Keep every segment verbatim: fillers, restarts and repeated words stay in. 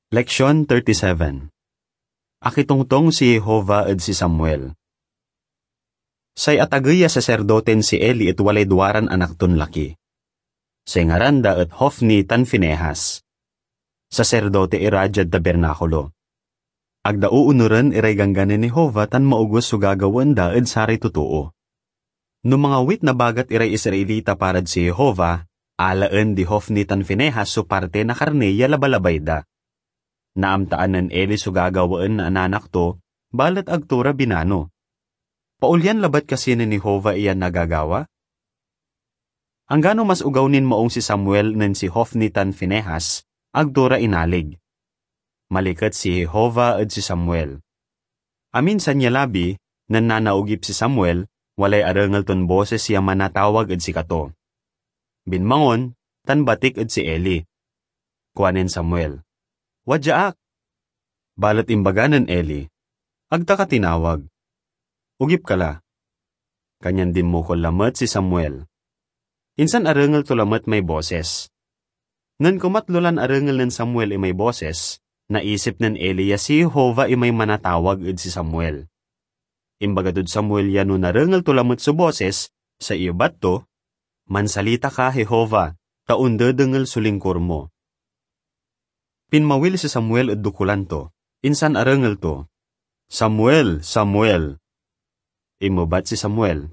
Leksyon thirty-seven. Akitongtong si Jehovah ed si Samuel. Say atagey a saserdoten si Eli et walay duaran anak ton laki. Say ngaran da et Hofni tan Finehas. Saserdote ira diad tabernakulo. Ag da oonuren iray ganggan nen Jehovah tan maoges so gagawaen da ed saray totoo. No mangawit na bagat iray Israelita parad si Jehovah, alaen di Hofni tan Finehas so parte na karni ya labalabay da. Naamtaan nen Eli so gagawaen na ananak to, balet ag to ra binano. Paolyan labat kasi nen Jehovah iyan nagagawa? Anggano mas ogaw nin maong si Samuel nen si Hofni tan Finehas, ag to ra inalig. Maliket si Jehovah ed si Samuel. Aminsan ya labi, nen nanaogip si Samuel, walay arengel ton bosis ya manatawag ed sikato. Binmangon, tan batik ed si Eli. Kuanen Samuel, "Wadya ak." Balet imbaga nen Eli, "Ag ta ka tinawag. Ogip ka la." Kanyan dinmokol lamet si Samuel. Insan arengel to lamet may bosis. Nen kumatlo lan arengel nen Samuel imay bosis, naisip nen Eli ya si Jehovah imay manatawag ed si Samuel. Imbaga tod Samuel ya no narengel to lamet so bosis, say iyebat to, "Mansalita ka, Jehovah, ta ondedengel so lingkur mo." Pinmawil si Samuel ed dokulan to, insan arengel to, "Samuel! Samuel!" Inmebat si Samuel,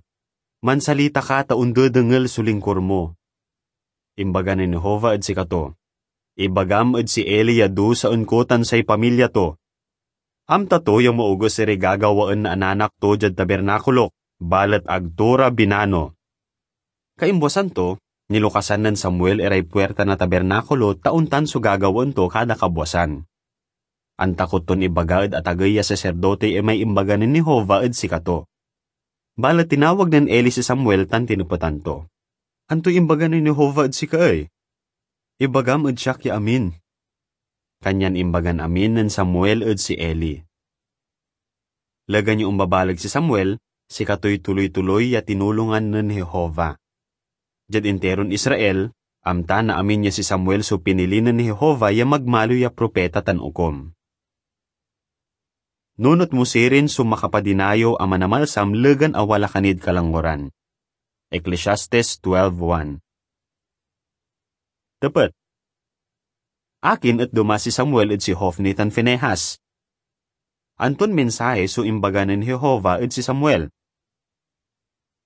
"Mansalita ka ta ondedengel so lingkur mo." Imbaga nen Jehovah ed sikato, "Ibagam ed si Eli ya dusaen ko tan say pamilya to. Amta to ya maoges iray gagawaen na ananak to diad tabernakulok, balet ag to ra binano." Kaimbuasan to, nilukasan nen Samuel iray puirta na tabernakulo ta ontan so gagawaen to kada kabwasan. Antakot ton ibaga ed atagey a saserdote imay imbaga nen Jehovah ed sikato. Balet tinawag nen Eli si Samuel tan tinepetan to, "Antoy imbaga nen Jehovah ed sika ey? Ibagam ed siak ya amin." Kanyan imbagan amin nen Samuel ed si Eli. Legan ya ombabaleg si Samuel, sikatoy tuloy-tuloy ya tinulongan nen Jehovah. Diad interon Israel, amta na amin ya si Samuel so pinili nen Jehovah ya magmaliw ya propeta tan okum. Nunot mo sirin so makapadinayew a manamalsam legan a wala ka nid kalangwaran. Ecclesiastes twelve one. Tepet. Akin et doma si Samuel ed si Hofni tan Finehas? Anton mensahe so imbaga nen Jehovah ed si Samuel?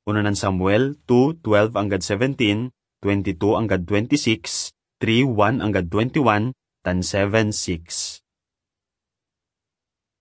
Unanan Samuel two twelve anggad seventeen, twenty-two anggad twenty-six, three one anggad twenty-one, tan seven six.